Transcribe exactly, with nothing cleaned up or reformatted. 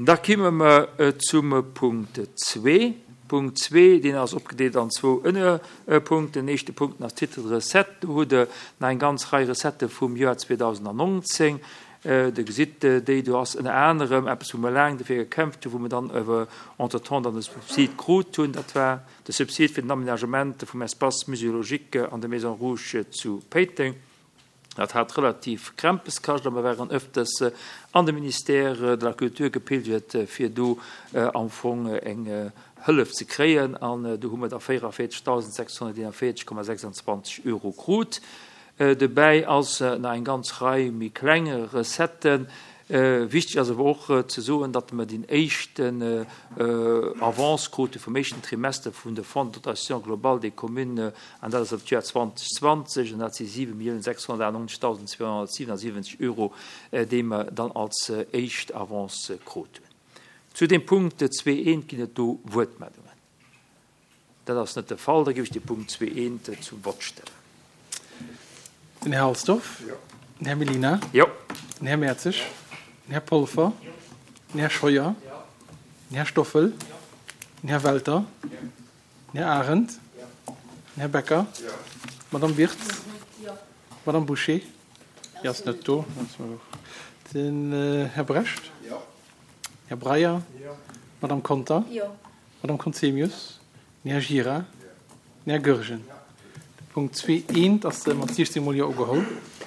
Da kimme mer zum Punkt zwee. Punkt zwee, deen ass opgedeelt an zwou Ënnerpunkten. Den éischte Punkt ass Titre de recette. Do hutt Der nach eng ganz Rei Recettë vum Joer zweedausendnonzéng. Der gesitt déi, do ass ënner anerem eppes, wou mer laang dofir gekämpft hunn, wou mer dann awer entretemps dann de Subsid krut hunn. Dat war de Subsid fir den Aménagement vum Espace muséologique an der Maison Rouge zu Péiteng. Dat hat relativ Krämpes kascht a mer waren öfters an de Ministère de la Culture gepilgert, fir do am Fong eng Hëllef ze kréien. An do hu mer da véierevierzegdausendsechshonnerteenundvéierzeg Komma sechsundzwanzeg Euro krut. Dobäi ass nach eng ganz Rei méi kleng Recetten. Wichteg ass awer och ze soen, datt mer deen éischten Avance krute vum éischten Trimester vun de Fonds de dotation globale des communes, an dat ass op d'Joer zweedausendzwanzeg, an dat si siwe Milliounen sechshonnertachtannonzegdausendzweehonnertsiwenundsiwwenzeg Euro, déi mer dann als éischt Avance krut hunn. Zu dem Punkt zwee eent ginn et do Wuertmeldungen. Dat ass net de Fall. Da géif ech de Punkt zwee eent zum Vott stellen. Den Här Halsdorf? Jo. Den Här Mellina? Jo. Den Här Mertzig? Jo. Den Här Polfer? Jo. Den Här Scheuer? Jo. Den Här Stoffel? Jo. Den Här Welter? Jo. Den Här Arendt? Jo. Den Här Becker? Jo. D'Madame Wirtz? Jo. D'Madame Bouché? Déi ass net do. Den Här Brecht? Jo. Här Breyer? Jo. D'Madame Conter? Jo. D'Madame Conzemius? Den Här Gira? Jo. Den Här Goergen? Jo. De Punkt zwee eent ass mat siechzéng mol Jo ugeholl.